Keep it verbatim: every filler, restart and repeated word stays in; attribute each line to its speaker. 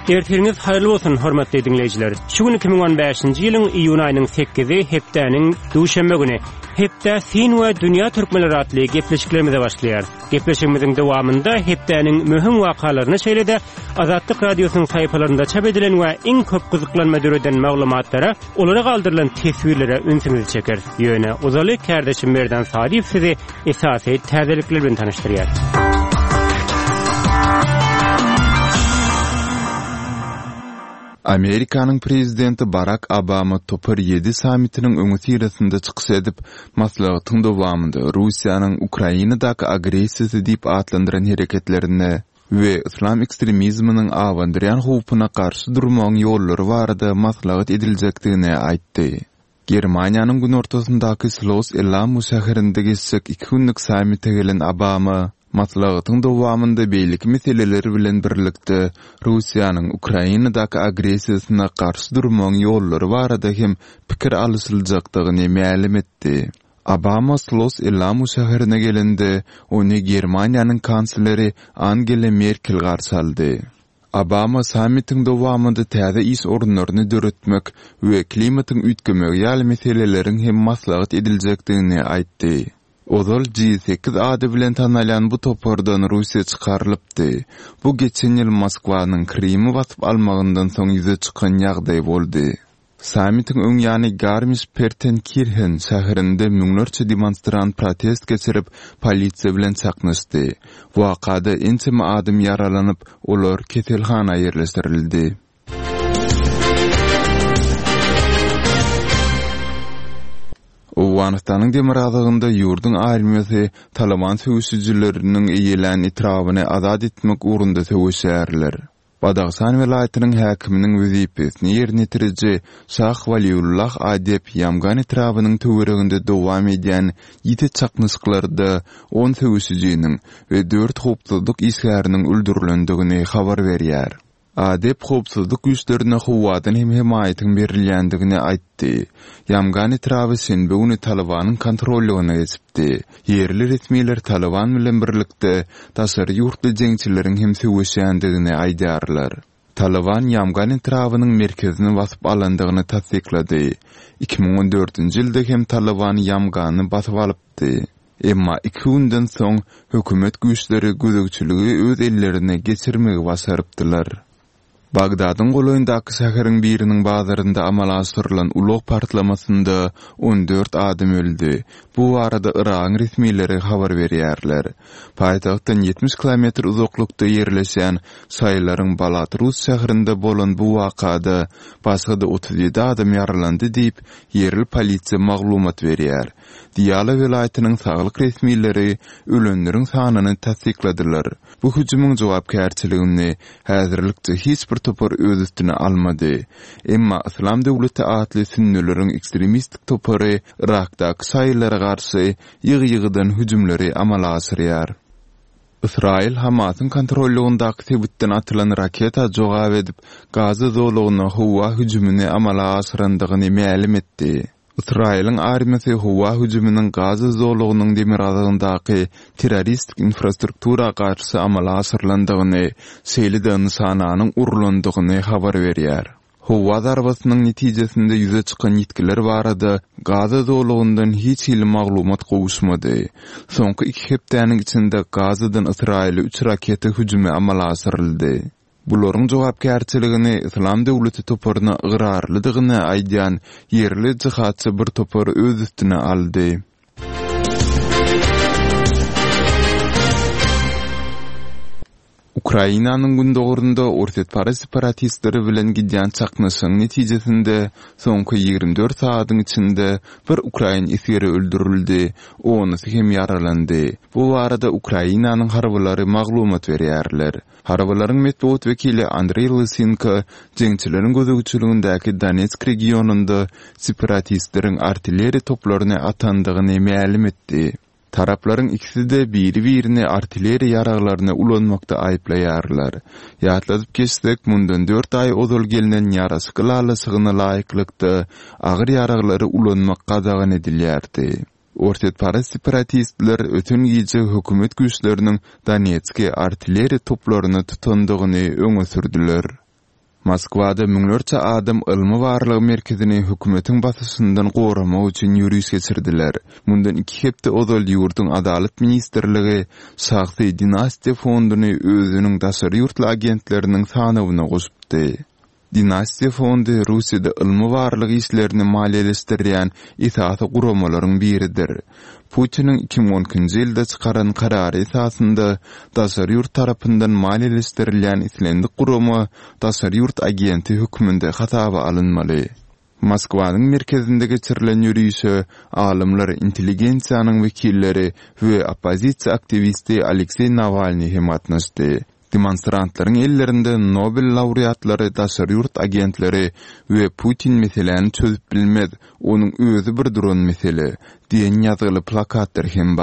Speaker 1: Ertiriňiz haýyrly bolsun, hormatly diňleýjiler. Şu gün iki müň on bäşinji ýylyň iýun aýynyň sekizi, hepdäniň duşenbe güni. Hepde Sin we Dünýä Türkmenleri atly gepleşiklerimize başlaýar. Gepleşigimiziň dowamynda hepdäniň möhüm wakalaryny, şeýle-de Azatlyk Radiosynyň sahypalarynda çap edilen we iň köp gyzyklanma döreden maglumatlara, olara galdyrylan teswirlere ünsüňizi çekeris. Ýöne ozaly kärdeşim Merdan Salyýew sizi esasy täzelikler bilen tanyşdyrýar.
Speaker 2: Amerikanyň prezidenti Barak Obama Topar ýedi sammitiniň öňüsyrasynda çykyş edip, maslahatyň dowamynda Russiýanyň Ukrainadaky agressiýasy diýip atlandyran hereketlerine we yslam ekstremizminiň abandyrýan howpuna garşy durmagyň ýollary barada maslahat ediljekdigini aýtdy. Germaniýanyň günortasyndaky Schloss Elmau şäherinde geçjek iki günlük sammite gelen Obama maslahatyň dowamynda beýleki meseleler bilen birlikde Russiýanyň Ukrainadaky agressiýasyna garşy durmagyň ýollary barada hem pikir alyşyljakdygyny mälim etdi. Obama Schloss Elmau şäherine gelende, ony Germaniýanyň kansleri Angela Merkel garşy aldy. Obama sammitiň dowamynda täze iş orunlaryny döretmek we klimatyň üýtgemegi ýaly meseleleriň hem maslahat ediljekdigini aýtdy. Ozal G sekiz ady bilen tanalýan bu topardan Russiýa çykarylypdy. Bu geçen ýyl Moskwanyň Krymy basyp almagyndan soň ýüze çykan ýagdaý boldy. Sammitiň öň ýany Garmisch-Partenkirchen şäherinde müňlerçe demonstrant protest geçirip, polisiýa bilen çaknyşdy. Wakada ençeme adam ýaralanyp, olar keselhana ýerleşdirildi. Owganystanyň demirgazygynda ýurduň armiýasy Taliban söweşijileriniň eýelän etrabyny azat etmek ugrunda söweşýärler. Badahşan welaýatynyň häkiminiň wezipesini ýerine ýetiriji Şah Waliullah Adep Ýamgan etrabynyň töwereginde dowam edýän ýiti çaknyşyklarda on söweşijiniň we dört howpsuzlyk işgäriniň öldürilendigini habar berýär. Adep howpsuzlyk güýçlerine howadan hem hemaýatyň berilýändigini aýtdy. Ýamgan etraby şenbe güni Talibanyň kontrollygyna geçipdi. Ýerli resmiler Taliban bilen birlikde daşary ýurtly jeňçileriň hem söweşýändigini aýdýarlar. Taliban Ýamgan etrabynyň merkezini basyp alandygyny tassyklady. Iki müň on dördünji ýylda hem Taliban Ýamgany basyp alypdy. Emma iki günden soň hökümet güýçleri gözegçiligi öz ellerine geçirmegi başarypdylar. Bagdadyň golaýyndaky şäheriň biriniň bazarynda amala aşyrylan ulag partlamasynda on dört adam öldi. Bu barada Yragyň resmileri habar berýärler. Paýtagtdan ýetmiş kilometr uzaklykda ýerleşen Şaýlaryň Balatrus şäherinde bolan bu wakada başga-da otuz ýedi adam ýaralandy diýip, ýerli polisiýa maglumat berýär. Diýala welaýatynyň saglyk resmileri ölenleriň sanyny tassykladylar. Bu hüjümiň jogapkärçiligini häzirlikçe hiç bir topar öz üstüne almady. Emma Islam döwleti atly sünnüleriň ekstremistik topary Irakdaky şaýylara garşy ýygy-ýygydan hüjümleri amala aşyrýar. Ysraýyl Hamasyň kontrollygyndaky sebitden atylan raketa jogap edip, Gaza zolagyna howa hüjümini amala aşyrandygyny mälim etdi. Ysraýylyň armiýasy howa hüjüminiň Gaza zolagynyň demirgazygyndaky terroristik infrastruktura garşy amala aşyrylandygyny, şeýle-de nyşananyň urulandygyny habar berýär. Howa zarbasynyň netijesinde ýüze çykan ýitgiler barada Gaza zolagyndan hiç hili maglumat gowuşmady. Soňky iki hepdäniň içinde Gazadan Ysraýyla üç raketa hüjümi amala aşyryldy. Bularyň jogapkärçiligini Islam döwleti toparyna ygrarlydygyny aýdýan ýerli jihatçy bir topar öz üstüne aldy. Ukrainanyň gündogarynda Orsýetparaz separatistleri bilen gidýän çaknyşygyň netijesinde soňky ýigrimi dört sagatyň içinde bir ukrain esgeri öldürildi, onusy hem ýaralandy. Bu barada Ukrainanyň harbylary maglumat berýärler. Harbylaryň metbugat wekili Andreý Lysenko jeňçileriň gözegçiligindäki Donetsk regionynda separatistleriň artilleriýa toplaryny atandygyny mälim etdi. Taraplaryň ikisi-de biri-birini artilleriýa ýaraglaryny ulanmakda aýyplaýarlar. Ýatladyp geçsek, mundan dört aý ozal gelnen ýaraşyk ylalaşygyna laýyklykda agyr ýaraglary ulanmak gadagan edilýärdi. Orsýetparaz separatistler öten gije hökümet güýçleriniň Donetski artilleriýa toplaryny tutandygyny öňe sürdüler. Moskwada müňlerçe adam ylmy-barlag merkezini hökümetiň basyşyndan goramak üçin ýöriş geçirdiler. Mundan iki hepde ozal ýurduň Adalat ministrligi şahsy Dinastiýa fonduny özüniň daşary ýurtly agentleriniň sanawyna goşupdy. Dinastiýa fondy Russiýada ylmy-barlag işlerini maliýeleşdirýän esasy guramalaryň biridir. Putiniň iki müň on ikinji ýylda çykaran karary esasynda daşary ýurt tarapyndan maliýeleşdirilýän islendik gurama daşary ýurt agenti hökmünde hasaba alynmaly. Moskwanyň merkezinde geçirilen ýörişe alymlar, intelligensiýanyň wekilleri we oppozisiýa aktiwisti Alekseý Nawalnyý hem gatnaşdy. Demonstrantlaryň ellerinde Nobel laureatlary, daşary ýurt agentleri we Putin meseläni çözüp bilmez, onuň özi bir duran mesele diýen ýazgyly plakatlar hem bar.